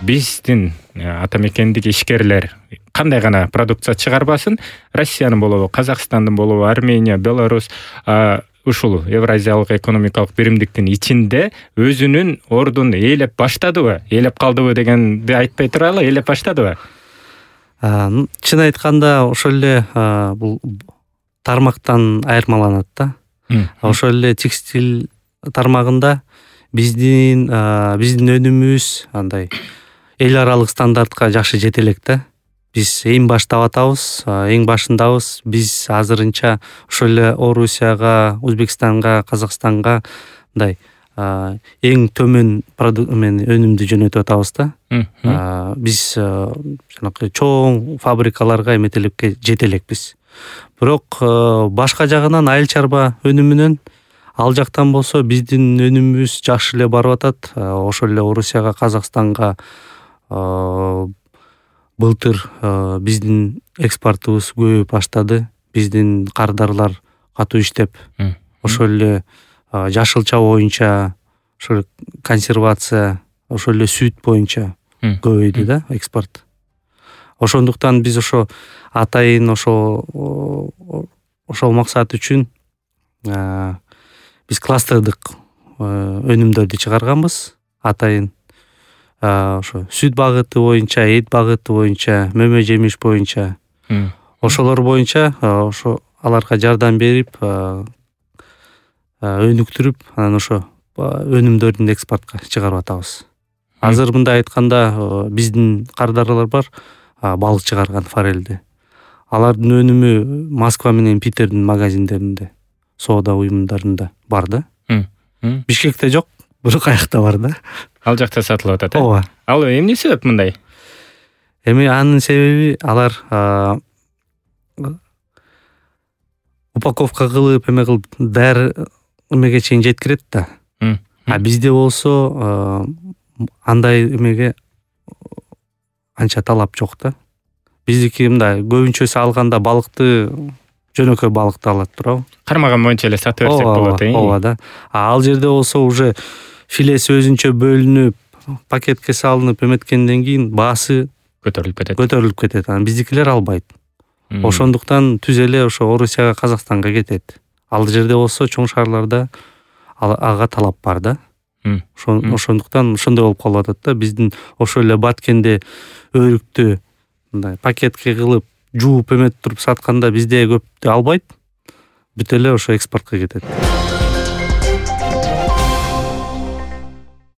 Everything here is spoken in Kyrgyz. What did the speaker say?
биздин ата мекендик ишкерлер кандай гана продукция чыгарбасын, Россиянын болобу, Казакстандын болобу, Армения, Беларусь ушул Евразиялык экономикалык биримдиктин ичинде өзүнүн ордун ээлеп баштадыбы, ээлеп калдыбы дегенди айтпай туралы, ээлеп баштадыбы? Чын айтканда ошол эле бул тармактан айырмаланат да. Ошол эле текстиль тармагында биздин өнүмүбүз андай эл аралык стандартка жакшы жете элек да. Биз эң баштап атабыз, эң башындабыз. Биз азырынча ошол эле Орусияга, Өзбекстанга, Казакстанга мындай эң төмөн өнүмдү жөнөтүп атабыз да. Биз жанакы чоң фабрикаларга эметеликке жете элекпиз. Бирок башка жагынан айыл чарба өнүмүнөн ал жактан болсо биздин өнүмүбүз жакшы эле барып атат. Ошол эле Орусияга, Казакстанга былтыр биздин экспортубуз көбөйүп баштады. Биздин кардарлар катуу иштеп, ошол эле жашылча боюнча, ошол консервация, ошол эле сүт боюнча көбөйдү да экспорт. Ошондуктан биз ошо атайын ошол максат үчүн биз кластердык өнүмдөрдү чыгарганбыз. Атайын ошо сүт багыты боюнча, эт багыты боюнча, мөмө жемиш боюнча, ошолор боюнча ошо аларга жардам берип, өнүктүрүп, анан ошо өнүмдөрдүн экспортко чыгарып атабыз. Азыр мындай айтканда биздин кардарлар бар, балык чыгарган форельди. Алардын өнүмү Москва менен Питердин магазиндеринде, соода уюмдарында бар да. Бишкекте жок, бирок аякта бар да. Ал жакта сатылып атат. Ооба. Ал эмне себеп мындай? Анын себеби алар упаковка кылып, кылып даяр эмеге чейин жеткирет да. Бизде болсо андай эмеге анча талап жок да. Биздики мындай көбүнчөсү алганда балыкты жөнөкөй балыкты алат туурабы? Кармаган боюнча эле сатып берсек болот, Ооба да. Ал жерде болсо уже филеси өзүнчө бөлүнүп, пакетке салынып эметкенден кийин баасы көтөрүлүп кетет. Анан биздикилер албайт. Ошондуктан түз эле ошо Орусияга, Казакстанга кетет. Ал жерде болсо чоң шаарларда ага талап бар да. Ошондуктан ошондой болуп калып атат да. Биздин ошол эле Баткенде өрүктү мындай пакетке кылып жууп эметип туруп сатканда бизде көптү албайт. Бүт эле ошо экспортко кетет.